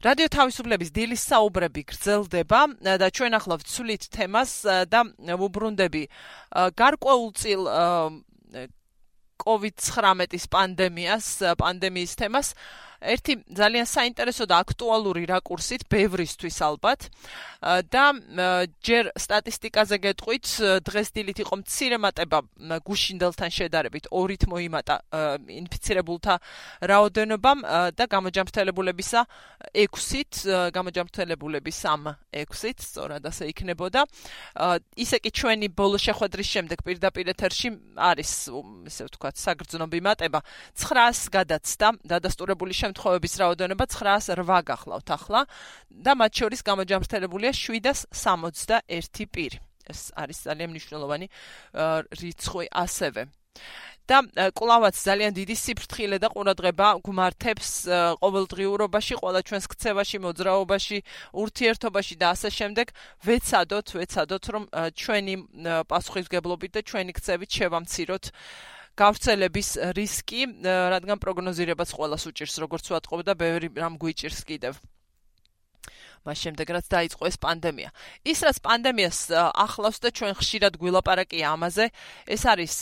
რადიო თავისუფლების დილის საუბრები გრძელდება და ჩვენ ახლა ვცვლით თემას და ვუბრუნდები გარკვეულწილ COVID-19 პანდემიის თემას. ერთი ძალიან საინტერესო და აქტუალური რაკურსით, ბევრისთვის ალბათ. და ჯერ სტატისტიკაზე გეტყვით, დღეს დილით იყო მცირე მატება გუშინდელთან შედარებით 2-ით მოიმატა ინფიცირებულთა რაოდენობამ და გამოჯანმრთელებულებისა 6-ით, გამოჯანმრთელებულების 6-ით, სწორად ასე იქნებოდა. ისე კი ჩვენი ბოლო შეხვედრის შემდეგ პირდაპირ ეთერში არის, ესე ვთქვათ, საგრძნობი მატება 900 გადაცდა დადასტურებული შემთხვევების რაოდენობა 908 გახლავთ ახლა და მათ შორის გამოჯანმრთელებულია 761 პირი. ეს არის ძალიან მნიშვნელოვანი რიცხვი ასევე. და კვლავაც ძალიან დიდი სიფრთხილე და ყურადღება გვმართებს ყოველდღიურობაში, ყველა ჩვენს ქცევაში, მოძრაობაში, ურთიერთობაში და ასე შემდეგ. ვეცადოთ, რომ ჩვენი პასუხისმგებლობით და ჩვენი ქცევით შევამციროთ გავრცელების რისკი, რადგან პროგნოზირებაც ყველას უჭირს, როგორც ვატყობ და ბევრი რამ გვიჭირს კიდევ. მას შემდეგ რაც დაიწყო ეს პანდემია. ის რაც პანდემიას ახლავს და ჩვენ ხშირად გვილაპარაკია ამაზე, ეს არის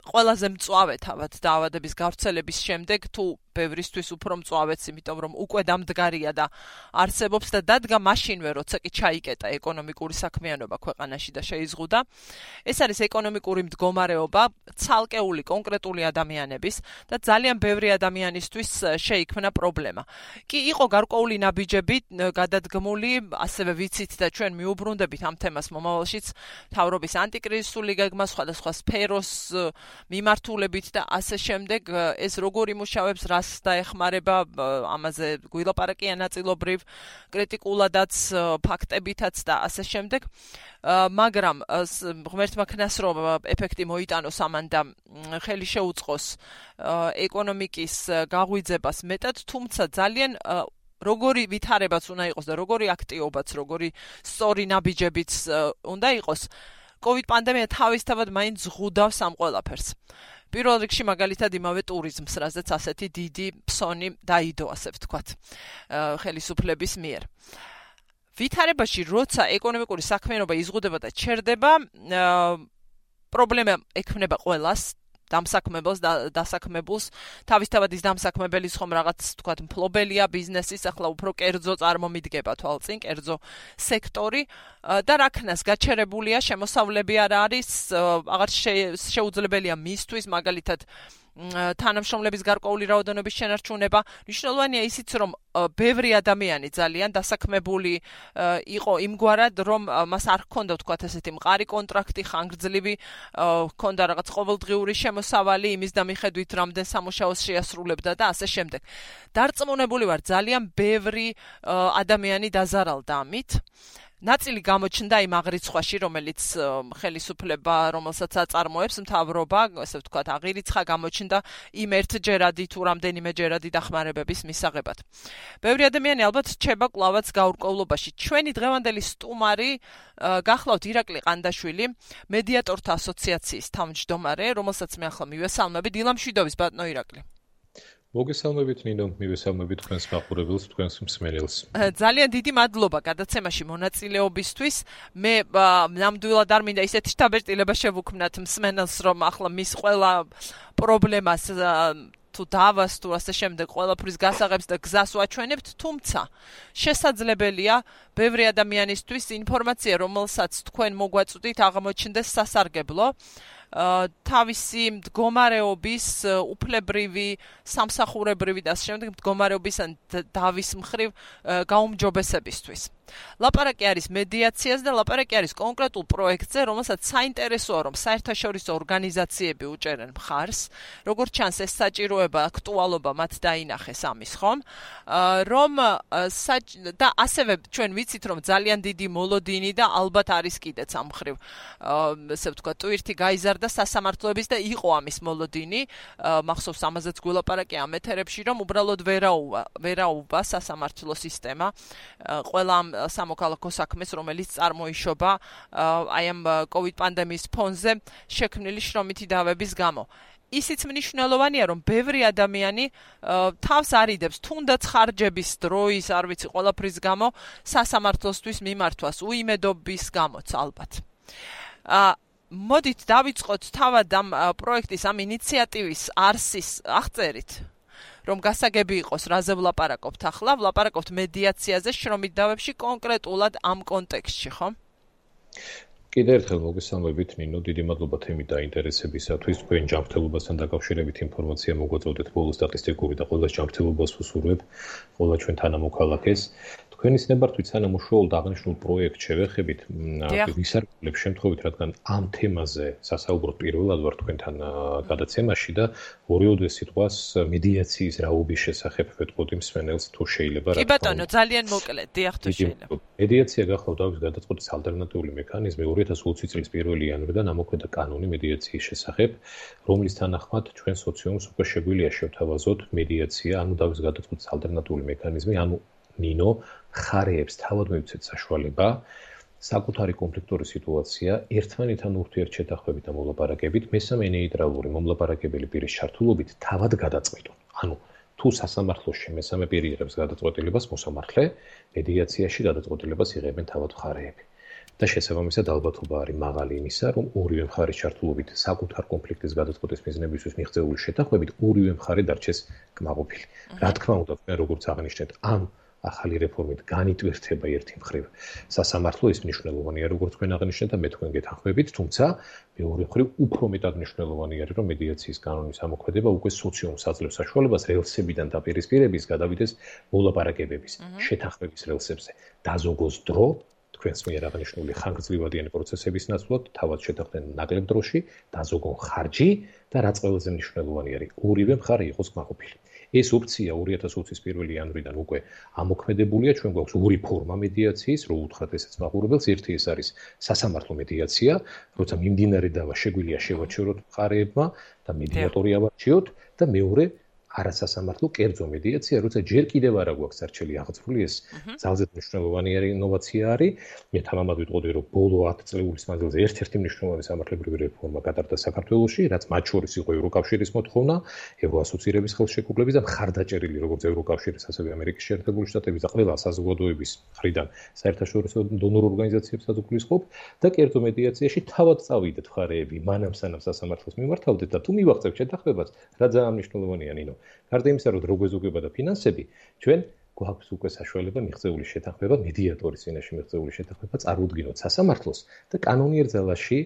ყველაზე მწვავე თავად დაავადების გავრცელების შემდეგ, თუ ბევრისთვის უფრო მწვავეც, იმიტომ რომ უკვე დამდგარია და არსებობს და დადგა მაშინვე, როცა კი ჩაიკეტა ეკონომიკური საქმიანობა ქვეყანაში და შეიზღუდა. ეს არის ეკონომიკური მდგომარეობა ცალკეული კონკრეტული ადამიანების და ძალიან ბევრი ადამიანისთვის შეიქმნა პრობლემა. კი იყო გარკვეული ნაბიჯები გადადგმული, ასევე ვიცით და ჩვენ მიუბრუნდებით ამ თემას მომავალშიც, მთავრობის ანტიკრიზისული გეგმა, სხვადასხვა სფეროს მიმართულებით და ასე შემდეგ, ეს როგორ იმუშავებს, რას დაეხმარება, ამაზე გვილაპარაკია ნაწილობრივ, კრიტიკულადაც, ფაქტებითაც და ასე შემდეგ. მაგრამ ღმერთმა ქნას რომ ეფექტი მოიტანოს ამან და ხელი შეუწყოს ეკონომიკის გაღვიძებას მეტად, თუმცა ძალიან როგორი ვითარებაც უნდა იყოს და როგორი აქტიობაც, როგორი სწორი ნაბიჯებიც უნდა იყოს, COVID პანდემია თავისთავად მაინც ზღუდავს ამ ყველაფერს. პირველ რიგში მაგალითად იმავე ტურიზმს, რაზეც ასეთი დიდი ფსონი დაიდო, ასე ვთქვათ, ხელისუფლების მიერ. ვითარებაში, როცა ეკონომიკური საქმიანობა იზღუდება და ჩერდება, პრობლემა ექმნება ყველას, დამსაქმებელს და დასაქმებულს. თავისთავად ის დამსაქმებელის ხომ რაღაც, ვთქვათ, მფლობელია ბიზნესის, ახლა უფრო კერძო წარმომიდგება თვალწინ, კერძო სექტორი და რაქნას გაჩერებულია, შემოსავლები არ არის, აღარ შეუძლებელია მისთვის, მაგალითად თანამშრომლების გარკვეული რაოდენობის შენარჩუნება. მნიშვნელოვანია ისიც, რომ ბევრი ადამიანი ძალიან დასაქმებული იყო იმგვარად, რომ მას არ ჰქონდა, ვთქვათ, ესეთი მყარი კონტრაქტი, ხანგრძლივი, ჰქონდა რაღაც ყოველდღიური შემოსავალი, იმის და მიხედვით რამდენ სამუშაოს შეასრულებდა და ასე შემდეგ. დარწმუნებული ვარ, ძალიან ბევრი ადამიანი დაზარალდა ამით. ნაწილი გამოჩნდა იმ აღრიცხვაში, რომელიც ხელისუფლება, რომელსაც აწარმოებს მთავრობა, ასე ვთქვათ, აღირიცხა გამოჩნდა იმ ერთჯერადი თუ რამდენიმეჯერადი დახმარებების მისაღებად. ბევრი ადამიანი ალბათ რჩება კვლავაც გაურკვევლობაში. ჩვენი დღევანდელი სტუმარი გახლავთ ირაკლი ყანდაშვილი, მედიატორთა ასოციაციის თავმჯდომარე, რომელსაც მე ახლა მივესალმები. დილა მშვიდობის, ბატონო ირაკლი. მოგესალმებით ნინო, მივესალმებით თქვენს მაყურებელს, თქვენს მსმენელს. ძალიან დიდი მადლობა გადაცემაში მონაწილეობისთვის. მე ნამდვილად არ მინდა ისეთი შთაბეჭდილება შევუქმნათ მსმენელს, რომ ახლა მის ყველა პრობლემას თუ დავას თუ ასე შემდეგ ყველაფრის გასაღებს და გზას ვაჩვენებთ, თუმცა შესაძლებელია ბევრი ადამიანისთვის ინფორმაცია, რომელსაც თქვენ მოგვაწვდით, აღმოჩნდეს სასარგებლო. თავისი მდგომარეობის უფლებრივი, სამსახურებრივი და ასე შემდეგ მდგომარეობის ან დავის მხრივ გაუმჯობესებისთვის. ლაპარაკი არის მედიაციას და ლაპარაკი არის კონკრეტულ პროექტზე, რომელსაც საინტერესოა, რომ საერთაშორისო ორგანიზაციები უჭერენ მხარს, როგორც ჩანს ეს საჭიროება, აქტუალობა მათ დაინახეს ამის, ხომ? რომ და ასევე ჩვენ ვიცით, რომ ძალიან დიდი მოლოდინი და ალბათ არის კიდეც ამ მხრივ, ესე ვთქვათ, ტვირთი გაიზარდა სასამართლოების და იყო ამის მოლოდინი, მახსოვს ამაზეც გვილაპარაკი ამ ეთერებში, რომ უბრალოდ ვერაუვა სასამართლო სისტემა ყველა ამ სამოქალაქო საქმეს, რომელიც წარმოიშობა აი ამ COVID პანდემიის ფონზე შექმნილი შრომითი დავების გამო. ისიც მნიშვნელოვანია, რომ ბევრი ადამიანი თავს არიდებს თუნდაც ხარჯების დროის, არ ვიცი, ყველაფრის გამო სასამართლოსთვის მიმართვას, უიმედობის გამოც ალბათ. მოდით დავიწყოთ თავად ამ პროექტის, ამ ინიციატივის არსის აღწერით, რომ გასაგები იყოს, რაზე ვლაპარაკობთ ახლა, ვლაპარაკობთ მედიაციაზე შრომით დავებში კონკრეტულად ამ კონტექსტში, ხო? კიდევ ერთხელ მოგესალმებით ნინო, დიდი მადლობა თემით დაინტერესებისათვის. თქვენ ჯანმრთელობასთან დაკავშირებით ინფორმაცია მოგვაწოდეთ, ბოლო სტატისტიკური და ყველა ჯანმრთელობას ვუსურვებ, ყველა ჩვენ თანამოქალაქეს. თქვენის ნებართვით სანამ უშუალოდ აღნიშნულ პროექტს შევეხებით, ვისარგებლებ შემთხვევით, რადგან ამ თემაზე სასაუბროდ პირველად ვარ თქვენთან გადაცემაში და ორივე სიტყვას მედიაციის რაობის შესახებ ვეტყოდი მსმენელს, თუ შეიძლება. კი ბატონო, ძალიან მოკლედ, დიახ, თუ შეიძლება. მედიაცია გახლავთ დავის გადაწყვეტის ალტერნატიული მექანიზმი 2020 წლის 1 იანვრიდან ამოქმედა კანონი მედიაციის შესახებ, რომლის თანახმად ჩვენ სოციუმს უკვე შეგვიძლია შევთავაზოთ მედიაცია, ანუ დავის გადაწყვეტის ალტერნატიული მექანიზმი, ანუ ნინო მხარეებს თავად მივცეთ საშუალება საკუთარი კონფლიქტური სიტუაცია ერთმანეთთან ურთიერთშეთანხმებით და მოლაპარაკებით მესამე ნეიტრალური მომლაპარაკებელი პირის ჩართულობით თავად გადაწყვეტონ. ანუ თუ სასამართლოში მესამე პირი იღებს გადაწყვეტილებას, მოსამართლე მედიაციაში გადაწყვეტილებას იღებენ თავად მხარეები. და შესაბამისად ალბათობა არის მაღალი იმისა, რომ ორივე მხარის ჩართულობით საკუთარ კონფლიქტის გადაწყვეტის მიზნებისთვის მიღწეული შეთანხმებით ორივე მხარე დარჩეს კმაყოფილი. რა თქმა უნდა, როგორც აღნიშნეთ, ამ ახალი რეფორმით განიტვირთება ერთი მხრივ სასამართლო, ის მნიშვნელოვანია, როგორც თქვენ აღნიშნეთ და მე თქვენ გეთანხმებით, თუმცა მეორე მხრივ უფრო მეტად მნიშვნელოვანი არის, რომ მედიაციის კანონის ამოქმედება უკვე სოციუმს აძლევს საშუალებას რელსებიდან დაპირისპირების გადავიდეს მოლაპარაკებების, შეთანხმების რელსებზე. დაზოგოს დრო თქვენს მიერ აღნიშნული ხანგრძლივადიანი პროცესების ნაცვლად თავად შეთანხმდნენ ნაკლებ დროში, დაზოგონ ხარჯი და რაც ყველაზე მნიშვნელოვანი არის, ორივე მხარე იყოს კმაყოფილი. ეს ოფცია 2020 წლის 1 იანვრიდან უკვე ამოქმედებულია, ჩვენ გვაქვს ორი ფორმა მედიაციის, რო უთხრათ ესეც მაყურებელს, ერთი ეს არის სასამართლო მედიაცია, როცა მიმდინარე დავა შეგვიძლია შევაჩეროთ მხარეებმა და მედიატორი ავარჩიოთ და მეორე არასასამართლო კერძო მედიაცია, როცა ჯერ კიდევ არა გვაქვს არჩელი აღწრული, ეს ძალზე მნიშვნელოვანი ინოვაცია არის. მე თამამად ვიტყოდი, რომ ბოლო 10 წლების მანძილზე ერთ-ერთი მნიშვნელოვანი სამართლებრივი რეფორმა გატარდა საქართველოში, რაც მათ შორის იყო ევროკავშირის მოთხოვნა, ევროასოცირების ხელშეკრულების და მხარდაჭერილი როგორც ევროკავშირის, ასევე ამერიკის შეერთებული შტატების და ყველა საზოგადოების მხრიდან საერთაშორისო დონორ ორგანიზაციებსაც უგულისხმობ და კერძო მედიაციაში თავად წავიდეთ მხარეები, მანამ სანამ სასამართლოს მიმართავდეთ და თუ მივაღწევთ შეთანხმებას, რა ძალიან მნიშვნელოვანია ნინო. გარდა იმისა, რომ დრო გვეზოგება და ფინანსები, ჩვენ გვაქვს უკვე საშუალება მიღწეული შეთანხმება, მედიატორის წინაშე მიღწეული შეთანხმება წარუდგინოთ სასამართლოს და კანონიერ ძალაში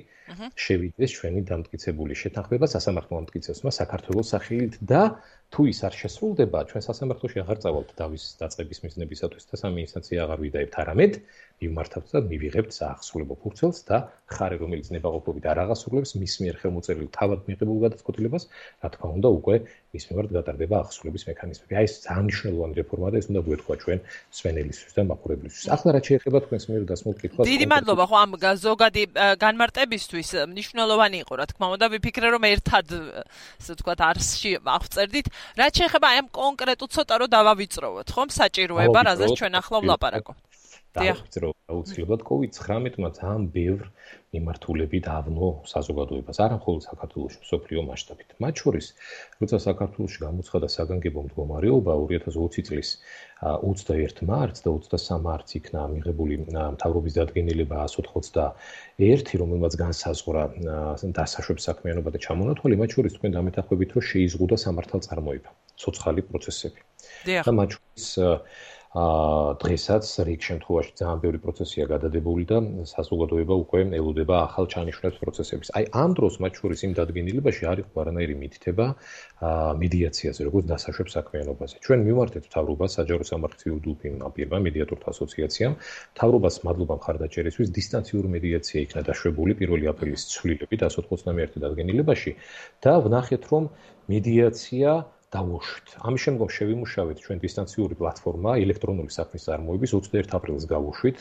შევიდეს ჩვენი დამტკიცებული შეთანხმება სასამართლო ამტკიცებსმა საქართველოს სახელით და თუ ის არ შესრულდება, ჩვენ სასამართლოში აღარ წავალთ დავის დაწყების მიზნებისათვის და სამი ინსტანცია აღარ ვიდაებთ, არამედ მივმართავთ და მივიღებთ საახსრულებო ფურცელს და მხარე, რომელიც ნებაყოფლობით არ აღასრულებს მის მიერ ხელმოწერილ თავად მიღებულ გადაწყვეტილებას, რა თქმა უნდა, უკვე მის მიმართ გატარდება აღსრულების მექანიზმები. აი ეს ძალიან მნიშვნელოვანი რეფორმაა და ეს უნდა გვეთქვა ჩვენ მსმენელისთვის და მაყურებლისთვის. ახლა რაც შეეხება თქვენს მიერ დასმულ კითხვას. დიდი მადლობა ხო ამ ზოგადი განმარტებისთვის. მნიშვნელოვანი იყო, რა თქმა უნდა, ვიფიქრე რომ ერთად, ასე ვთქვათ, არსში აღწერდით. რაც შეეხება აი ამ კონკრეტულ ცოტა რომ დავავიწროვოთ, ხომ, საჭიროება, რაზეც ჩვენ ახლა ვლაპარაკობთ. დავიწყრო აუცილებლად COVID-19-მა ძალიან ბევრ მიმართულებით ავნო საზოგადოებას, არა მხოლოდ საქართველოში, მსოფლიო მასშტაბით. მათ შორის, როცა საქართველოში გამოცხადა საგანგებო მდგომარეობა 2020 წლის 21 მარტს და 23 მარტს იქნა მიღებული მთავრობის დადგენილება 121, რომელმაც განსაზღვრა დასაშვების საქმიანობა და ჩამონათვალი, მათ შორის თქვენ დამეთანხმებით, რომ შეიზღუდა სამართალწარმოება, ცოცხალი პროცესები. და მათ შორის დღესაც რიგ შემთხვევაში ძალიან ბევრი პროცესია გადადებული და საზოგადოება უკვე ელოდება ახალ ჩანიშვნებს პროცესების. აი ამ დროს მათ შორის იმ დადგენილებაში არ იყო არანაირი მითითება მედიაციაზე, როგორც დასაშვებ საქმიანობაზე. ჩვენ მივმართეთ მთავრობას, საჯარო სამართლიანი პირმა, მედიატორთა ასოციაციამ, მთავრობას მადლობა მხარდაჭერისთვის, დისტანციური მედიაცია იქნა დაშვებული 1 აპრილის ცვლილებით 191 დადგენილებაში და ვნახეთ, რომ მედიაცია დავუშვით. ამის შემდგომ შევიმუშავეთ ჩვენ დისტანციური პლატფორმა ელექტრონული საქმის წარმოების 21 აპრილს გავუშვით.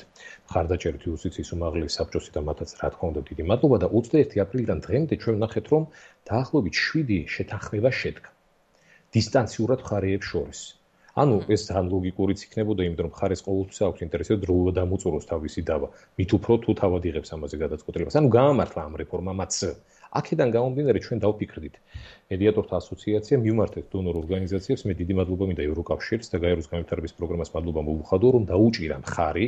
მხარდაჭერით იუსტიციის უმაღლესი საბჭოსი და მათაც რა თქმა უნდა დიდი მადლობა და 21 აპრილიდან დღემდე ჩვენ ვნახეთ, რომ დაახლოებით 7 შეთანხმება შედგა დისტანციურად მხარეებს შორის. ანუ ეს ძალიან ლოგიკურიც იქნებოდა, იმიტომ რომ მხარეს ყოველთვის აქვს ინტერესი დრო დამოწუროს თავისი დავა. მით უფრო თუ თავად იღებს ამაზე გადაწყვეტილებას. ანუ გაამართლა ამ რეფორმამაც. აქედან გამომდინარე ჩვენ დავფიქრდით მედიატორთა ასოციაცია მივმართეთ დონორ ორგანიზაციებს, მე დიდი მადლობა მინდა ევროკავშირს და გაეროს განვითარების პროგრამას მადლობა მოვუხადო, რომ დაუჭირა მხარი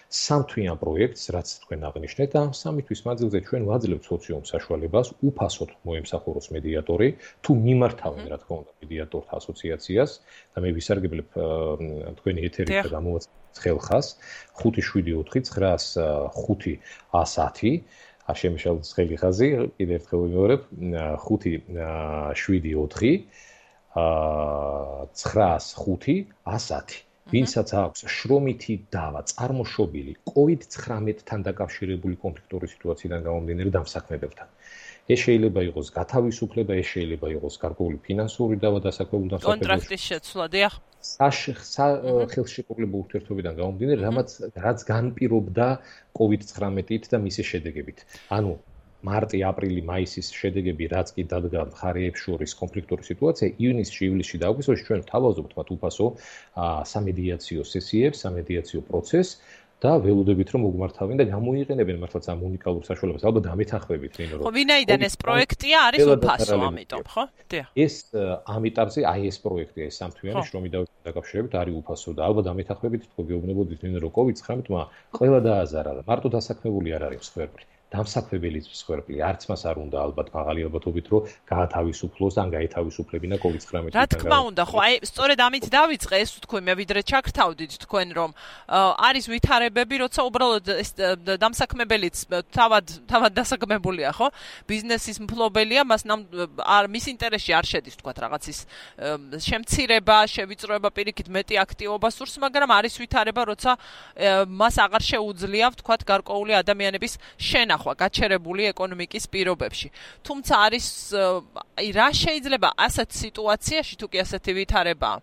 სამთვიან პროექტს, რაც თქვენ აღნიშნეთ და სამი თვის მანძილზე ჩვენ ვაძლევთ სოციუმ საშუალებას უფასოდ მოემსახუროს მედიატორი, თუ მიმართავენ რა თქმა უნდა მედიატორთა ასოციაციას და მე ვისარგებლებ თქვენი ეთერით და გამოვაცხადოთ ხელხას 574-905-110 არ შემეშალოთ ხელი ხაზი, კიდევ ერთხელ ვიმეორებ 574-905-110 ვინცაც აქვს შრომითი დავა წარმოშობილი COVID-19-თან დაკავშირებული კონფლიქტური სიტუაციიდან გამომდინარე დამსაქმებელთან. ეს შეიძლება იყოს გათავისუფლება, ეს შეიძლება იყოს გარკვეული ფინანსური დავა დასაქმებულ დამსაქმებელს. კონტრაქტის შეცვლა, დიახ. ხელშეკრულებულ ურთიერთობიდან გამომდინარე, რაც განპირობდა COVID-19-ით და მისი შედეგებით. ანუ მარტი, აპრილი, მაისის შედეგები რაც კი დადგა მხარეებს შორის კონფლიქტური სიტუაცია, ივნისში, ივლისში და აგვისტოში ჩვენ თავაზობთ მათ უფასო სამედიაციო სესიებს, სამედიაციო პროცესს და ველოდებით რომ მოგმართავენ და გამოიყენებენ მართლაც ამ უნიკალურ საშუალებას. ალბათ დამეთანხმებით ნინო რომ. ხო, ვინაიდან ეს პროექტია არის უფასო, ამიტომ, ხო? დიახ. ეს ამ ეტაპზე ეს პროექტია, ეს სამთვიანი შრომით დაკავშირებით არის უფასო და ალბათ დამეთანხმებით თქვენ გეუბნებოდით ნინო რომ COVID-19-მა ყველა დააზარა და მარტო დასაქმებული არ არის მსხვერპლი. დამსაქმებელიც მსხვერპლი, არც მას არ უნდა ალბათ მაღალი ალბათობით რომ გაათავისუფლოს ან გაეთავისუფლებინა COVID-19-თან. რა თქმა უნდა, ხო, აი სწორედ ამით დავიწყე, ეს თქვენ მე ვიდრე ჩაგრთავდით თქვენ რომ არის ვითარებები, როცა უბრალოდ ეს დამსაქმებელიც თავად დასაქმებულია, ხო? ბიზნესის მფლობელია, მას მის ინტერესში არ შედის თქვათ რაღაცის შემცირება, შევიწროება პირიქით მეტი აქტივობა სურს, მაგრამ არის ვითარება, როცა მას აღარ შეუძლია თქვათ გარკვეული ადამიანების შენახვა გაჩერებული ეკონომიკის პირობებში. თუმცა არის რა შეიძლება ასეთ სიტუაციაში თუ კი ასეთი ვითარება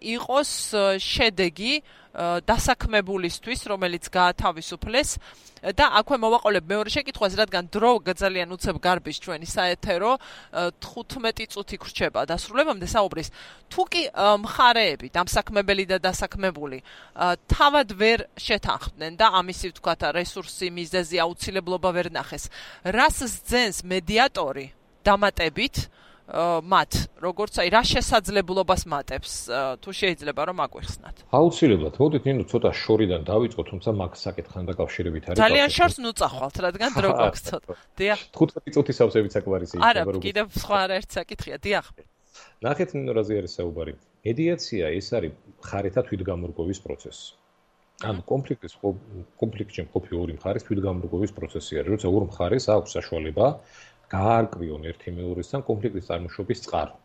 იყოს შედეგი დასაქმებულისთვის, რომელიც გაათავისუფლეს და აქვე მოვაყოლებ მეორე შეკითხვას, რადგან დრო ძალიან უცებ გარბის ჩვენი საეთერო 15 წუთი გრჩება დასრულებამდე საუბრის. თუ კი მხარეები, დამსაქმებელი და დასაქმებული თავად ვერ შეთანხმდნენ და ამისი ვთქვათ რესურსი, მიზეზი, აუცილებლობა ვერ ნახეს, რას სძენს მედიატორი დამატებით მათ, როგორც აი რა შესაძლებლობას მატებს, თუ შეიძლება რომ აგვიხსნათ. აუცილებლად. მოდით ნინო ცოტა შორიდან დავიწყოთ, თუმცა მაგ საკითხთან დაკავშირებით არის. ძალიან შორს ნუწახვალთ, რადგან დრო გვაქვს ცოტა. დიახ. 15 წუთი სავსებით საკმარისი იქნება, არა, კიდევ სხვა არაერთი საკითხია, დიახ. ნახეთ ნინო რაზე არის საუბარი. მედიაცია ეს არის მხარეთა თვითგამორგობის პროცესი. ანუ კონფლიქტში მყოფი ორი მხარის თვითგამორგობის პროცესი არის, როცა ორ მხარეს აქვს საშუალება გაარკვიონ ერთი მეორესთან კონფლიქტის წარმოშობის წყარო,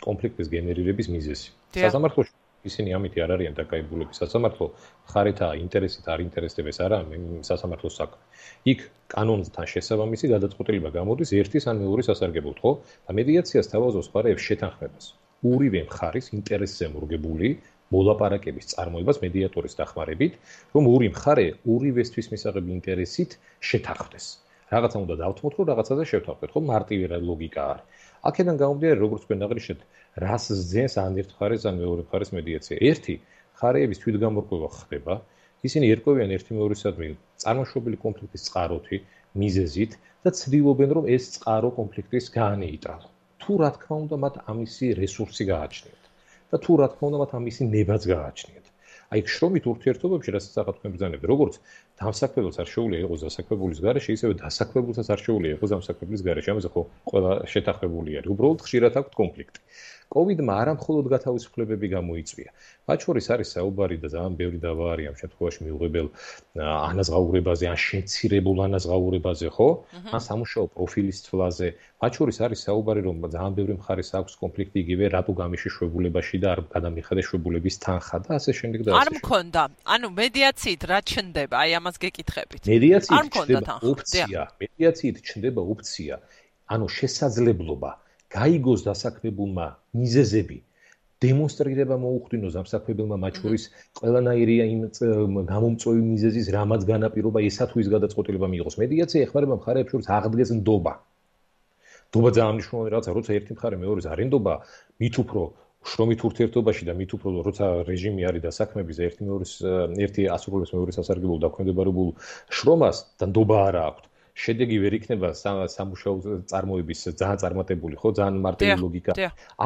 კონფლიქტის გენერირების მიზეზი. სასამართლოში ისინი ამით არ არიან დაკავებულები. სასამართლო მხარეთა ინტერესით არ ინტერესდება, არა სასამართლოს საქმე. იქ კანონთან შესაბამისი გადაწყვეტილება გამოდის ერთის ან მეორის სასარგებლოდ, ხო? და მედიაციას თავაზობს მხარეებს შეთანხმებას. ორივე მხარის ინტერესზე მორგებული მოლაპარაკების წარმოებას მედიატორის დახმარებით, რომ ორი მხარე ორივესთვის მისაღები ინტერესით შეთანხმდეს. რაღაცა უნდა დავთმოთ, რომ რაღაცაზე შევთანხმდეთ, ხო? მარტივი ლოგიკა არის. აქედან გამომდინარე, როგორც თქვენ აღნიშნეთ, რას სძენს ან ერთ მხარეს ან მეორე მხარეს მედიაცია. ერთი, მხარეების თვითგამორგება ხდება, ისინი ერკვევიან ერთი მეორესადმი წარმოშობილი კონფლიქტის წყაროთი, მიზეზით და ცდილობენ, რომ ეს წყარო კონფლიქტის გაანეიტრალო. თუ რა თქმა უნდა, მათ ამისი რესურსი გააჩნიათ და თუ რა თქმა უნდა, მათ ამისი ნებაც გააჩნიათ. აი შრომით ურთიერთობებში, რასაც ახლა თქვენ ბრძანებთ, როგორც დამსაქმებელს არ შეუძლია იყოს დასაქმებულის გარეშე, ისევე დასაქმებულსაც არ შეუძლია იყოს დამსაქმებლის გარეშე. ამაზე ხო ყველა შეთანხმებული არის. უბრალოდ ხშირად აქვს კონფლიქტი. COVID-მა არა მხოლოდ გათავისუფლებები გამოიწვია. მათ შორის არის საუბარი და ძალიან ბევრი დავა არის ამ შემთხვევაში მიუღებელ ანაზღაურებაზე, ან შემცირებულ ანაზღაურებაზე, ხო? ან სამუშაო პროფილის თვლაზე. მათ შორის არის საუბარი, რომ ძალიან ბევრი მხარეს აქვს კონფლიქტი იგივე რატო გამიშეშვებულებაში და არ გადამიხადეს შვებულების თანხა და ასე შემდეგ და ასე. არ მქონდა. ანუ მედიაციით რა ჩნდება? აი ამას გეკითხებით. მედიაციით ჩნდება ოფცია. მედიაციით ჩნდება ოფცია. ანუ შესაძლებლობა გაიგოს დასაქმებულმა მიზეზები, დემონსტრირება მოუხდინოს დამსაქმებელმა მათ შორის ყველანაირი იმ გამომწვევი მიზეზის რამაც განაპირობა ესა თუ ის გადაწყვეტილება მიიღოს. მედიაცია ეხმარება მხარეებს შორის აღდგეს ნდობა. ნდობა ძალიან მნიშვნელოვანი რაღაცა, როცა ერთი მხარე მეორეს არ ენდობა, მით უფრო შრომით ურთიერთობაში და მით უფრო როცა რეჟიმი არის დასაქმების და ერთი ასრულებს მეორის სასარგებლო დაქვემდებარებულ შრომას და ნდობა არა აქვს. შედეგი ვერ იქნება სამუშაო წარმოების ძალიან წარმატებული, ხო, ძალიან მარტივი ლოგიკა.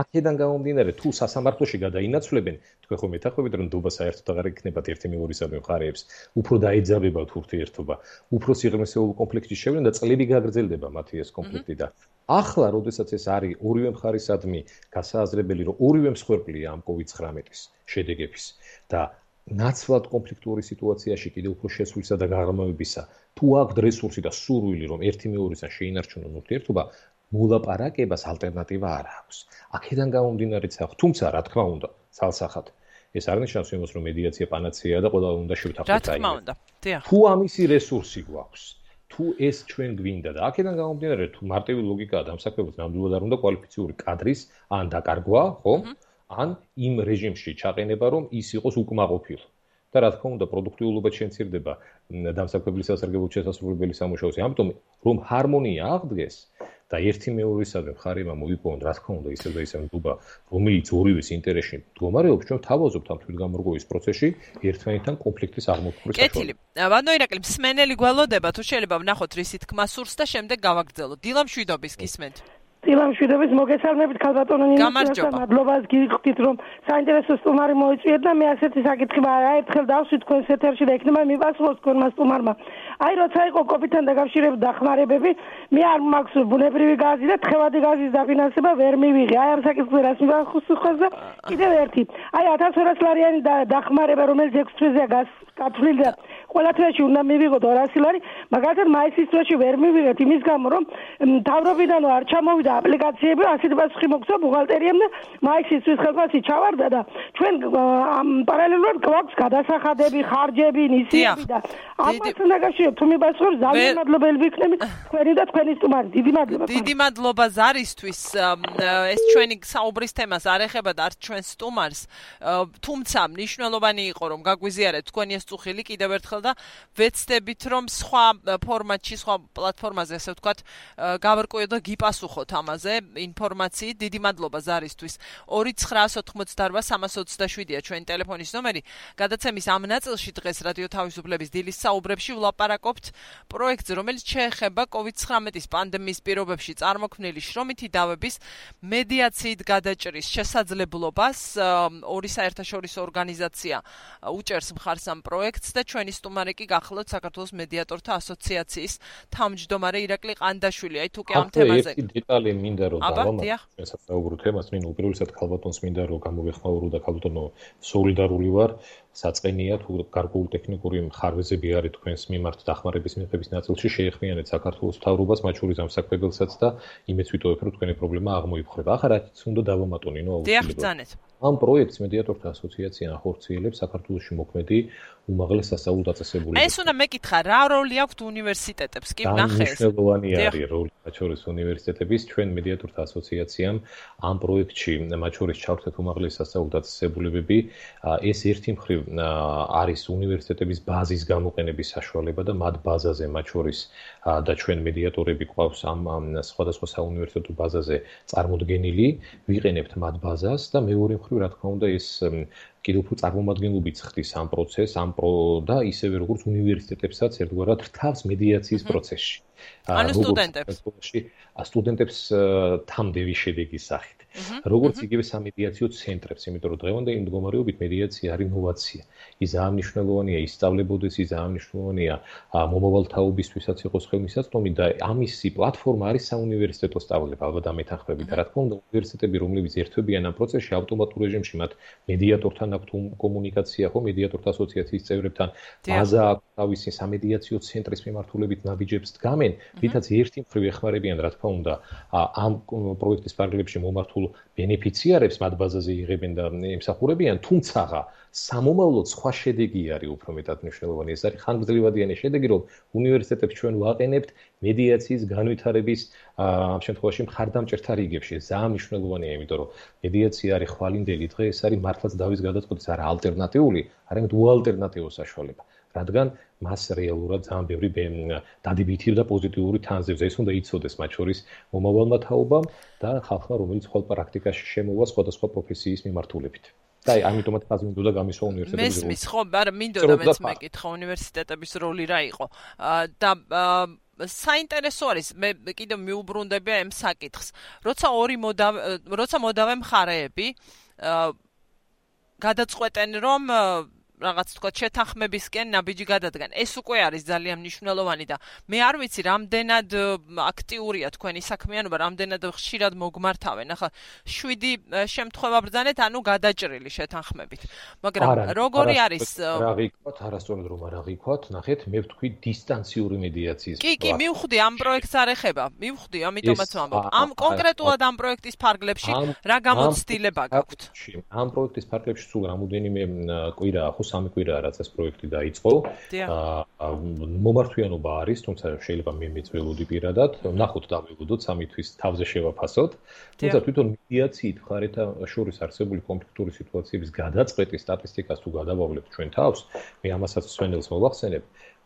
აქედან გამომდინარე, თუ სასამართლოში გადაინაცვლებენ, თქვენ ხომ მეთანხმებით, რომ ნდობა საერთოდ აღარ იქნებათ ერთი მეორისადმი მხარეებს, უფრო დაეძაბებათ ურთიერთობა, უფრო სიღრმისეულ კონფლიქტში შევიდნენ და წლები გაგრძელდება მათი ეს კონფლიქტი და ახლა, როდესაც ეს არის ორივე მხარისადმი გასააზრებელი, რომ ორივე მსხვერპლია ამ COVID-19-ის შედეგების და ნაცვლად კონფლიქტური სიტუაციაში კიდევ უფრო შესვლისა და გაღრმავებისა, თუ აქვს რესურსი და სურვილი, რომ ერთი მეორისთან შეინარჩუნონ ურთიერთობა, მოლაპარაკებას ალტერნატივა არ აქვს. აქედან გამომდინარეც აქვს, თუმცა რა თქმა უნდა, ცალსახად ეს არ ნიშნავს იმას, რომ მედიაცია პანაცეაა და ყველა უნდა შევთანხმდეთ. რა თქმა უნდა, დიახ. თუ ამისი რესურსი გვაქვს, თუ ეს ჩვენ გვინდა და აქედან გამომდინარე, თუ მარტივი ლოგიკაა დამსაქმებელს ნამდვილად არ უნდა კვალიფიციური კადრის ან დაკარგვა, ხო? ან იმ რეჟიმში ჩაყენება, რომ ის იყოს უკმაყოფილო. და რა თქმა უნდა, პროდუქტიულობა შემცირდება დამსაქმებლის სასარგებლო შესასრულებელი სამუშაოზე. ამიტომ რომ ჰარმონია აღდგეს და ერთი მეორისადმი მხარემა მოიპოვონ, რა თქმა უნდა, ისევ და ისევ ნდობა, რომელიც ორივეს ინტერესში მდგომარეობს, ჩვენ თავაზობთ ამ თვითგამორგოვის პროცესში ერთმანეთთან კონფლიქტის აღმოფხვრას. კეთილი. ბანო ირაკლი, მსმენელი გველოდება, თუ შეიძლება ვნახოთ რისი თქმა სურს და შემდეგ გავაგრძელოთ. დილა მშვიდობის გისმენთ. დილამშვიდობის მოგესალმებით ქალბატონო ნინოს მადლობას გიხდით რომ საინტერესო სტუმარი მოიწვიეთ და მე ასეთი საკითხი ერთხელ დავსვით თქვენს ეთერში და იქნება მიპასუხოს თქვენმა სტუმარმა. აი როცა იყო კოპიდან დაკავშირებით დახმარებები, მე არ მაქვს ბუნებრივი გაზი და თხევადი გაზის დაფინანსება ვერ მივიღე. აი ამ საკითხზე რას მიპასუხოს და კიდევ ერთი. აი 1200 ლარიანი დახმარება რომელიც 6 თვეზეა გათვლილი და ყველა თვეში უნდა მივიღოთ 200 ლარი, მაგალითად მაისის თვეში ვერ მივიღეთ იმის გამო რომ მთავრობიდანო არ ჩამოვიდა აპლიკაციები, ასეთი პასუხი მოგცა ბუღალტერიამ და მაისის თვის ხელფასი ჩავარდა და ჩვენ პარალელურად გვაქვს გადასახადები, ხარჯები, ნისიები და ამასთან დაკავშირებით თუ მიპასუხებს ძალიან მადლობელი ვიქნები თქვენი და თქვენი სტუმარი. დიდი მადლობა. დიდი მადლობა ზარისთვის. ეს ჩვენი საუბრის თემას არ ეხება და არც ჩვენ სტუმარს, თუმცა მნიშვნელოვანი იყო რომ გაგვიზიარეთ თქვენი ეს წუხილი კიდევ ერთხელ და ვეცდებით რომ სხვა ფორმატში, სხვა პლატფორმაზე, ასე ვთქვათ, გავარკვიოთ და გიპასუხოთ ამაზე ინფორმაციით. დიდი მადლობა ზარისთვის. 2988327-ია ჩვენი ტელეფონის ნომერი. გადაცემის ამ ნაწილში დღეს რადიო თავისუფლების დილის საუბრებში ვლაპარაკობთ პროექტზე, რომელიც შეეხება COVID-19 პანდემიის პირობებში წარმოქმნილი შრომითი დავების მედიაციით გადაჭრის შესაძლებლობას. ორი საერთაშორისო ორგანიზაცია უჭერს მხარს ამ პროექტს და ჩვენი სტუმარი კი გახლავთ საქართველოს მედიატორთა ასოციაციის თავმჯდომარე ირაკლი ყანდაშვილი. აი თუ კი ამ თემაზე ერთი დეტალი მინდა რომ დავამატო ესაც საუბრო თემას, ნუ უპირველესად ქალბატონს მინდა რომ გამოვეხმაურო და ქალბატონო სოლიდარული ვარ. საწყენია თუ გარკვეული ტექნიკური მხარვეზები არის თქვენს მიმართ დახმარების მიღების ნაწილში შეეხმიანეთ საქართველოს მთავრობას, მათ შორის ამსაქმებელსაც და იმეც ვიტოვებ რომ თქვენი პრობლემა აღმოიფხვრება. ახლა რაც უნდა დავამატო ნინო აუცილებლად. ამ პროექტს მედიატორთა ასოციაცია ახორციელებს საქართველოში მოქმედი უმაღლეს სასწავლო დაწესებულებაში. ეს უნდა მეკითხა, რა როლი აქვს უნივერსიტეტებს? კი ნახე ეს. მნიშვნელოვანი არის როლი მათ შორის უნივერსიტეტების. ჩვენ მედიატორთა ასოციაციამ ამ პროექტში მათ შორის ჩავთვეთ უმაღლეს სასწავლო დაწესებულებები. ეს ერთი მხრივ არის უნივერსიტეტების ბაზის გამოყენების საშუალება და მათ ბაზაზე მათ შორის და ჩვენ მედიატორები გვყავს ამ სხვადასხვა საუნივერსიტეტო ბაზაზე წარმოდგენილი, ვიყენებთ მათ ბაზას და მეორე მხრივ რა თქმა უნდა ეს კიდევ უფრო წარმომადგენლობით ხდის ამ პროცესს, და ისევე როგორც უნივერსიტეტებსაც ერთგვარად რთავს მედიაციის პროცესში. ანუ სტუდენტებს თამდევი შედეგის სახით. როგორც იგივე სამედიაციო ცენტრებს, იმიტომ რომ დღევანდელი მდგომარეობით მედიაცია არის ინოვაცია. ის ძალიან მნიშვნელოვანია ისწავლებოდეს, ის ძალიან მნიშვნელოვანია მომავალ თაობისთვისაც იყოს ხელმისაწვდომი და ამისი პლატფორმა არის საუნივერსიტეტო სწავლება, ალბათ ამეთანხმებით. რა თქმა უნდა, უნივერსიტეტები, რომლებიც ერთვებიან ამ პროცესში, ავტომატურ რეჟიმში მათ მედიატორთან აქვთ კომუნიკაცია, ხო, მედიატორთა ასოციაციის წევრებთან, ბაზა აქვს თავისი სამედიაციო ცენტრის მიმართულებით ნაბიჯებს დგამენ, რითაც ერთი მხრივ ეხმარებიან, რა თქმა უნდა, ამ პროექტის პარალელში მომართულ ბენეფიციარებს მათ ბაზაზე იღებენ და ემსახურებიან, თუმცა სამომავლოდ სხვა შედეგი არის უფრო მეტად მნიშვნელოვანი. ეს არის ხანგრძლივადიანი შედეგი, რომ უნივერსიტეტებს ჩვენ ვაყენებთ მედიაციის განვითარების ამ შემთხვევაში მხარდამჭერთა რიგებში. ძალიან მნიშვნელოვანია, იმიტომ რომ მედიაცია არის ხვალინდელი დღე, ეს არის მართლაც დავის გადაწყვეტის არა ალტერნატიული, არამედ უალტერნატივო საშუალება. რადგან მას რეალურად ძალიან ბევრი დადებითი და პოზიტიური თანზევს. ეს უნდა იცოდეს მათ შორის მომავალმა თაობამ და ხალხმა, რომელიც ხოლ პრაქტიკაში შემოვა სხვადასხვა პროფესიის მიმართულებით. და ამიტომაც ხაზი უნდა გამისვა უნივერსიტეტების როლი. მესმის ხო, მაგრამ მინდოდა მეც მეკითხა უნივერსიტეტების როლი რა იყო. და საინტერესო არის, მე კიდევ მიუბრუნდები ამ საკითხს. როცა მოდავე მხარეები გადაწყვეტენ, რომ რაღაც თქვა შეთანხმებისკენ ნაბიჯი გადადგან. ეს უკვე არის ძალიან მნიშვნელოვანი და მე არ ვიცი რამდენად აქტიურია თქვენი საქმიანობა, რამდენად ხშირად მოგმართავენ. ახლა 7 შემთხვევა ბრძანეთ, ანუ გადაჭრილი შეთანხმებით. მაგრამ როგორი არის რა ვიქვათ, არასწორად რომ არ ვიქვათ, ნახეთ, მე ვთქვი დისტანციური მედიაციის. კი, მივხვდი ამ პროექტს არ ეხება. მივხვდი, ამიტომაც ვამბობ. ამ კონკრეტულად ამ პროექტის ფარგლებში რა გამოცდილება გაქვთ? ამ პროექტის ფარგლებში სულ რამოდენიმე კვირაა, ხო 3 კვირაა რაც ეს პროექტი დაიწყო. მომართვიანობა არის, თუმცა შეიძლება მე მეწველოდი პირადად, ნახოთ დავიღუდოთ 3 თვის თავზე შევაფასოთ. თუმცა თვითონ მედიაციით მხარეთა შორის არსებული კონფლიქტური სიტუაციების გადაწყვეტის სტატისტიკას თუ გადავავლებთ ჩვენ თავს, მე ამასაც სვენელს მოვახსენებ.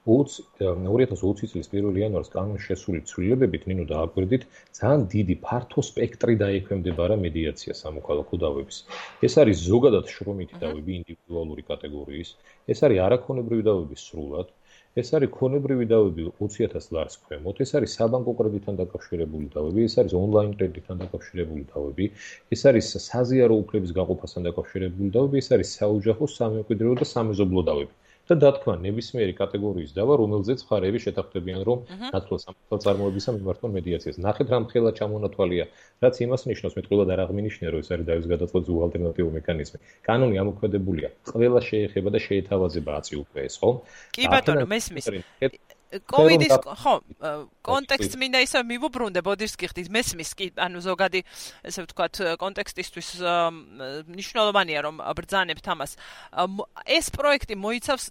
2020 წლის 1 იანვარს კანონში შესული ცვლილებებით ნინო დააკვირდით ძალიან დიდი ფართო სპექტრი დაექვემდებარა მედიაცია სამოქალაქო დავების. ეს არის ზოგადად შრომითი დავები ინდივიდუალური კატეგორიის, ეს არის არაქონებრივი დავები სრულად, ეს არის ქონებრივი დავები 20,000 ლარს ქვემოთ, ეს არის საბანკო კრედიტთან დაკავშირებული დავები, ეს არის ონლაინ კრედიტთან დაკავშირებული დავები, ეს არის საზიარო უფლების გაყოფასთან დაკავშირებული დავები, ეს არის საოჯახო, სამემკვიდრეო და სამეზობლო დავები. და დათქვა ნებისმიერი კატეგორიის დავა, რომელზეც მხარეები შეთანხმდებიან, რომ ნაცვლად სამართალ წარმოებისა მიმართონ მედიაციას. ნახეთ რა მთლად ჩამონათვალია, რაც იმას ნიშნავს, მეტყველად არ აღმინიშნე, რომ ეს არის დავის გადაწყვეტის ალტერნატიული მექანიზმი. კანონი ამოქმედებულია, ყველა შეეხება და შეეთავაზება აწი უკვე ეს, ხო? კი ბატონო, მესმის. კოვიდის კონტექსტს მინდა ისე მივუბრუნდე, ბოდიშს გიხდით, მესმის კი, ანუ ზოგადი, ესე ვთქვათ, კონტექსტისთვის მნიშვნელოვანია რომ ბრძანებთ ამას. ეს პროექტი მოიცავს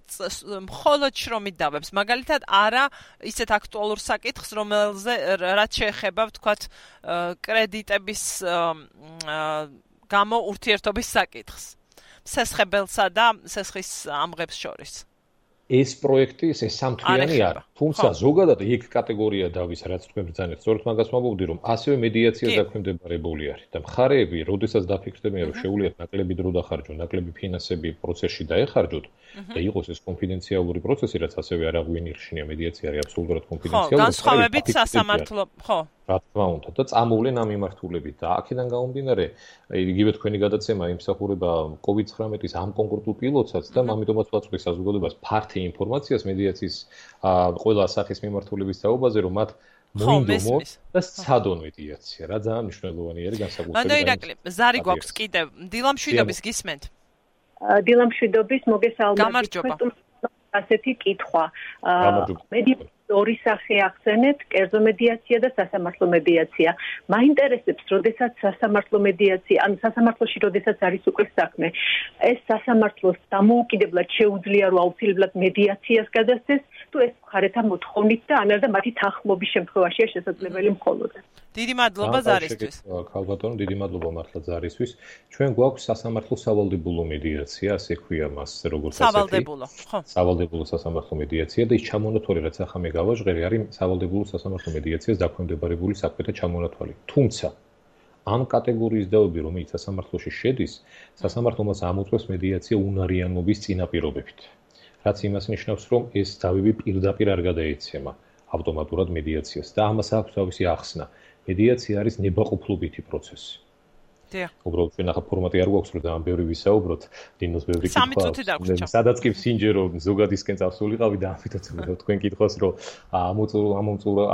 მხოლოდ შრომით დავებს, მაგალითად არა ისეთ აქტუალურ საკითხს, რაც შეეხება, ვთქვათ, კრედიტების გამო ურთიერთობის საკითხს. სესხებელსა და სესხის ამღებს შორის. ეს პროექტი ეს სამთვლიანი არა. თუმცა ზოგადად ეგ კატეგორია დავის, რაც თქვენ ბრძანებთ, სწორედ მაგას ვამბობდი, რომ ასევე მედიაცია დაქვემდებარებული არის და მხარეები, როდესაც დაფიქრდებიან, რომ შეუძლიათ ნაკლები დრო დახარჯონ, ნაკლები ფინანსები პროცესში დაეხარჯოთ და იყოს ეს კონფიდენციალური პროცესი, რაც ასევე არ აღვინიხშნია, მედიაცია არის აბსოლუტურად კონფიდენციალური. განსხვავებით სასამართლო, ხო. რა თქმა უნდა და წამოვლენ ამ მიმართულებით და აქედან გამომდინარე, იგივე თქვენი გადაცემა იმსახურება COVID-19-ის ამ კონკრეტულ პილოტსაც და ამიტომაც ვაწყობთ საზოგადოებას ფართი ინფორმაციას მედიაციის ყველა სახის მიმართულების თაობაზე, რომ მათ მოინდომოთ და სცადონ მედიაცია. რა ძალიან მნიშვნელოვანი არის განსაკუთრებით. მანდ ირაკლი, ზარი გვაქვს კიდევ. დილამშვიდობის გისმენთ. დილამშვიდობის მოგესალმებით. გამარჯობა. ასეთი კითხვა. ორი სახე ახსენეთ, კერძო მედიაცია და სასამართლო მედიაცია. მაინტერესებს, როდესაც სასამართლო მედიაცია, ან სასამართლოში როდესაც არის უკვე საქმე, ეს სასამართლოს დამოუკიდებლად შეუძლია, რომ აუცილებლად მედიაციას გადასცეს, თუ ეს მხარეთა მოთხოვნით და ანალ და მათი თანხმობის შემთხვევაშია შესაძლებელი მხოლოდ. დიდი მადლობა ზარისთვის. ქალბატონო, დიდი მადლობა მართლა ზარისთვის. ჩვენ გვაქვს სასამართლო სავალდებულო მედიაცია, ასე ქვია მას, როგორც ასეთი. სავალდებულო, ხო. სავალდებულო სასამართლო მედიაცია და ის ჩამონათვალი, რაც ახლა მე გავაჟღერი, არის სავალდებულო სასამართლო მედიაციას დაქვემდებარებული საქმეთა ჩამონათვალი. თუმცა ამ კატეგორიის დავები, რომელიც სასამართლოში შედის, სასამართლო მას ამოწმებს მედიაცია უნარიანობის წინაპირობებით. რაც იმას ნიშნავს, რომ ეს დავები პირდაპირ არ გადაეცემა ავტომატურად მედიაციას და ამას აქვს თავისი ახსნა. მედიაცია არის ნებაყოფლობითი პროცესი. უბრალოდ ჩვენ ახლა ფორმატი არ გვაქვს, რომ ძალიან ბევრი ვისაუბროთ, დინოს ბევრი კითხვა. სადაც კი ვსინჯერო ზოგადისკენ წავსულიყავი და ამიტომ თქვენ კითხავს, რომ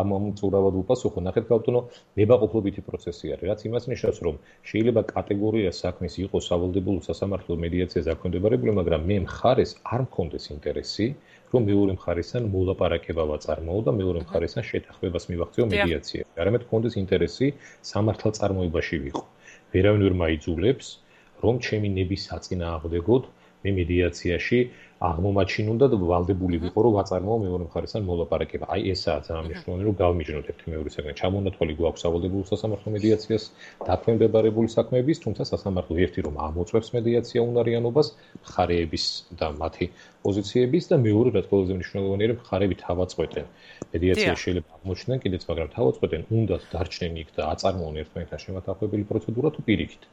ამომწურავად უპასუხო, ნახეთ ბატონო, ნებაყოფლობითი პროცესი არის, რაც იმას ნიშნავს, რომ შეიძლება კატეგორია საქმის იყოს სავალდებულო სასამართლო მედიაციას დაქვემდებარებული, მაგრამ მე მხარეს არ მქონდეს ინტერესი, რომ მეორე მხარესთან მოლაპარაკება ვაწარმოო და მეორე მხარესთან შეთანხმებას მივახციო მედიაციაში. არამედ მქონდეს ინტერესი სამართალწარმოებაში ვიყო. ვერავინ ვერ მაიძულებს, რომ ჩემი ნების საწინააღმდეგოდ მე მედიაციაში აღმომაჩინონ და ვალდებული ვიყო, რომ ვაწარმოო მეორე მხარესთან მოლაპარაკება. აი ესაა ძალიან მნიშვნელოვანი, რომ გავმიჯნოთ ერთი მეორისაგან. ჩამონათვალი გვაქვს სავალდებულო სასამართლო მედიაციას დაქვემდებარებული საქმეების, თუმცა სასამართლო ერთი რომ ამოწმებს მედიაცია უნარიანობას, მხარეების და მათი პოზიციების და მეორე რაც ყველაზე მნიშვნელოვანია, რომ მხარეები თავაწყვეტენ. მედიაცია შეიძლება აღმოჩნდნენ კიდეც, მაგრამ თავაწყვეტენ უნდათ დარჩნენ იქ და აწარმოონ ერთმანეთთან შემათანხმებელი პროცედურა თუ პირიქით.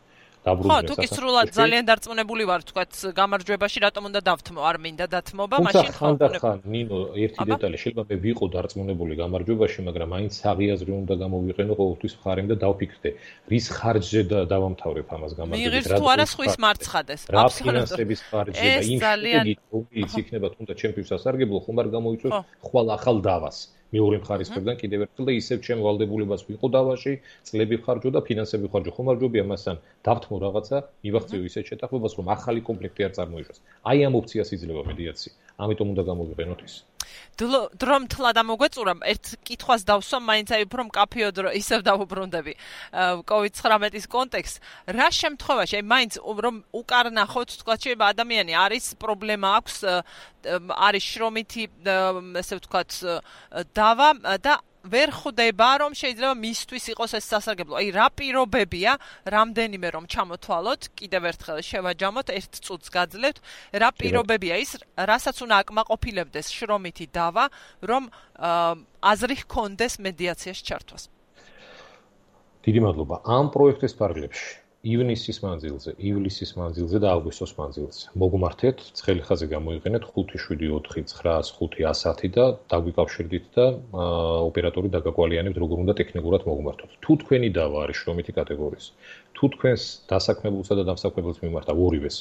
დაბრუნდნენ. თუ კი სრულად ძალიან დარწმუნებული ვარ, თქვათ, გამარჯვებაში რატომ უნდა დავთმო, არ მინდა დათმობა, მაშინ ხანდახან ნინო ერთი დეტალი შეიძლება მე ვიყო დარწმუნებული გამარჯვებაში, მაგრამ მაინც საღიაზრი უნდა გამოვიყენო ყოველთვის მხარემ და დავფიქრდე, რის ხარჯზე დავამთავრებ ამას გამარჯვებას. მიღირს თუ არა სხვის მარცხადეს. რა ფინანსების ხარჯზე და იმ შედეგით რომელიც იქნება თუნდაც ჩემთვის სასარგებლო, ხომ არ გამოიწვევს ხვალ ახალ დავას. მეორე მხარის მხრიდან კიდევ ერთხელ და ისევ ჩემ ვალდებულებას ვიყო დავაში, წლები ხარჯო და ფინანსები ხარჯო. ხომ არ ჯობია მასთან დავთმო რაღაცა, მივახციო ისეთ შეთანხმებას, რომ ახალი კონფლიქტი არ წარმოიშვას. აი ამ ოფციას იძლევა მედიაცია. ამიტომ უნდა გამოვიყენოთ ის. დრომ თლა დამოგვეწურა, ერთ კითხვას დავსვამ, მაინც აი უფრო მკაფიოდ ისევ დავუბრუნდები COVID-19-ის კონტექსტს. რა შემთხვევაში, აი მაინც რომ უკარნახოთ, თქვა, შეიძლება ადამიანი არის პრობლემა აქვს, არის შრომითი, ესე ვთქვათ, დავა და ვერ ხვდება, რომ შეიძლება მისთვის იყოს ეს სასარგებლო. აი რა პირობებია, რამდენიმე რომ ჩამოთვალოთ, კიდევ ერთხელ შევაჯამოთ, ერთ წუთს გაძლევთ, რა პირობებია ის, რასაც უნდა აკმაყოფილებდეს შრომითი დავა, რომ აზრი ჰქონდეს მედიაციაში ჩართვას. დიდი მადლობა. ამ პროექტის პარალელში ივნისის ივლისის მანძილზე და აგვისტოს მანძილზე. მოგმართეთ, ცხელი ხაზი გამოიყენეთ 5749510 და დაგვიკავშირდით და ოპერატორი დაგაკვალიანებთ, როგორ უნდა ტექნიკურად მოგმართოთ. თუ თქვენი დავა არის შრომითი კატეგორიის, თუ თქვენს დასაქმებულსა და დამსაქმებელს მიმართა ორივეს,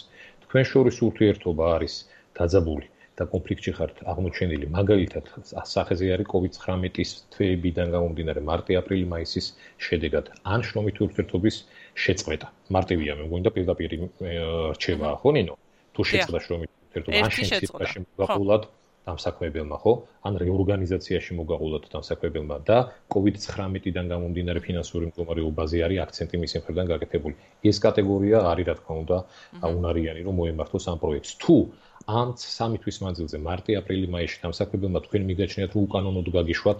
თქვენ შორის ურთიერთობა არის დაძაბული და კონფლიქტში ხართ აღმოჩენილი, მაგალითად, სახეზე არის COVID-19-ის თვეებიდან გამომდინარე მარტი-აპრილი მაისის შედეგად, ან შრომითი ურთიერთობის შეწყვეტა. მარტივია, მე მგონი და პირდაპირ რჩევაა, ხო, ნინო? თუ შეწყვეტა შრომითი ურთიერთობა, ან შემთხვევაში მოგაყოლად დამსაქმებელმა, ხო? ან რეორგანიზაციაში მოგაყოლად დამსაქმებელმა და COVID-19-დან გამომდინარე ფინანსური მდგომარეობაზე არის აქცენტი მისი მხრიდან გაკეთებული. ეს კატეგორია არის, რა თქმა უნდა, უნარიანი, რომ მოემართოს ამ პროექტს. თუ ამ 3 თვის მანძილზე მარტი-აპრილი მაისში დამსაქმებელმა თქვენ მიგაჩნიათ, რომ უკანონოდ გაგიშვათ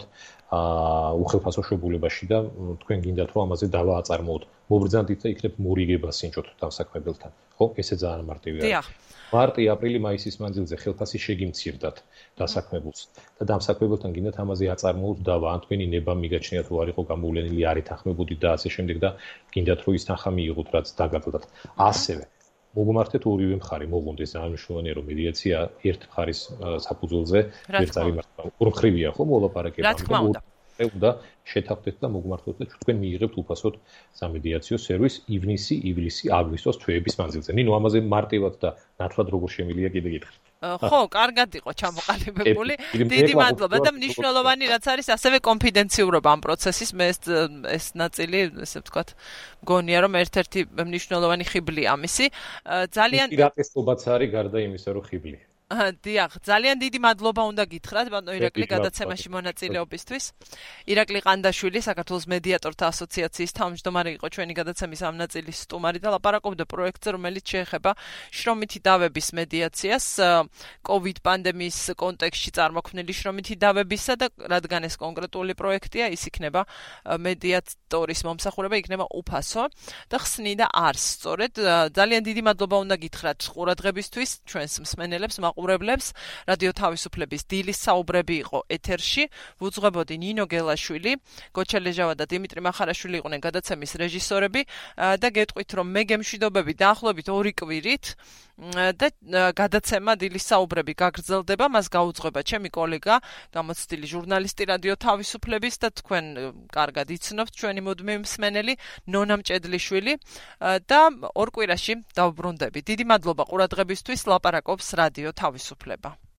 უხელფასო შობულებაში და თქვენ გინდათ, რომ ამაზე დავა აწარმოოთ. მობრძანდით და იქნებ მორიგება სინჭოთ დამსაქმებელთან. ხო, ესე ძალიან მარტივია. მარტი-აპრილი მაისის მანძილზე ხელფასი შეგიმცირდათ დასაქმებულს და დამსაქმებელთან გინდათ ამაზე აწარმოოთ დავა, ან თქვენი ნება მიგაჩნიათ, რომ არ იყო გამოვლენილი, არ ეთანხმებოდით და ასე შემდეგ და გინდათ, რომ ის თანხა მიიღოთ, რაც დაგადოთ. ასევე მოგმართეთ ორივე მხარე, მოგვონდეს ძალიან მნიშვნელოვანია, რომ მედიაცია ერთ მხარის საფუძველზე ვერ წარიმართა. ოთხრივია, ხო, მოლაპარაკება. რა თქმა უნდა. უნდა შეთანხმდეთ და მოგმართოთ და თქვენ მიიღებთ უფასოდ სამედიაციო სერვისს ივნისი, ივლისი, აგვისტოს თვეების მანძილზე. ნინო, ამაზე მარტივად და ნათლად როგორ შემილია კიდე გითხრით. ხო, კარგად იყო ჩამოყალიბებული. დიდი მადლობა და მნიშვნელოვანი რაც არის, ასევე კონფიდენციურობა ამ პროცესის, მე ეს ნაწილი, ესე ვთქვათ, მგონია რომ ერთ-ერთი მნიშვნელოვანი ხიბლია ამისი. ძალიან პირატესობაც არის გარდა იმისა, რომ ხიბლი. დიახ, ძალიან დიდი მადლობა უნდა გითხრათ, ბატონო ირაკლი, გადაცემაში მონაწილეობისთვის. ირაკლი ყანდაშვილი, საქართველოს მედიატორთა ასოციაციის თავმჯდომარე იყო ჩვენი გადაცემის ამ ნაწილის სტუმარი და ლაპარაკობდა პროექტზე, რომელიც შეეხება შრომითი დავების მედიაციას, COVID პანდემიის კონტექსტში წარმოქმნილი შრომითი დავებისა და რადგან ეს კონკრეტული პროექტია, ის იქნება მედიატორის მომსახურება იქნება უფასო და ხსნიდა არს. სწორედ, ძალიან დიდი მადლობა უნდა გითხრათ ყურადღებისთვის, ჩვენს მსმენელებს, მაყურებლებს. რადიო თავისუფლების დილის საუბრები იყო ეთერში. ვუძღვებოდი ნინო გელაშვილი, გოჩა ლეჟავა და დიმიტრი მახარაშვილი იყვნენ გადაცემის რეჟისორები და გეტყვით, რომ მე გემშვიდობები დაახლოებით 2 კვირით და გადაცემა დილის საუბრები გაგრძელდება, მას გაუძღვება ჩემი კოლეგა, გამოცდილი ჟურნალისტი რადიო თავისუფლების და თქვენ კარგად იცნობთ ჩვენი მუდმივი მსმენელი ნონა მჭედლიშვილი და 2 კვირაში დავბრუნდები. დიდი მადლობა ყურადღებისთვის, ლაპარაკობს რადიო თავისუფლება.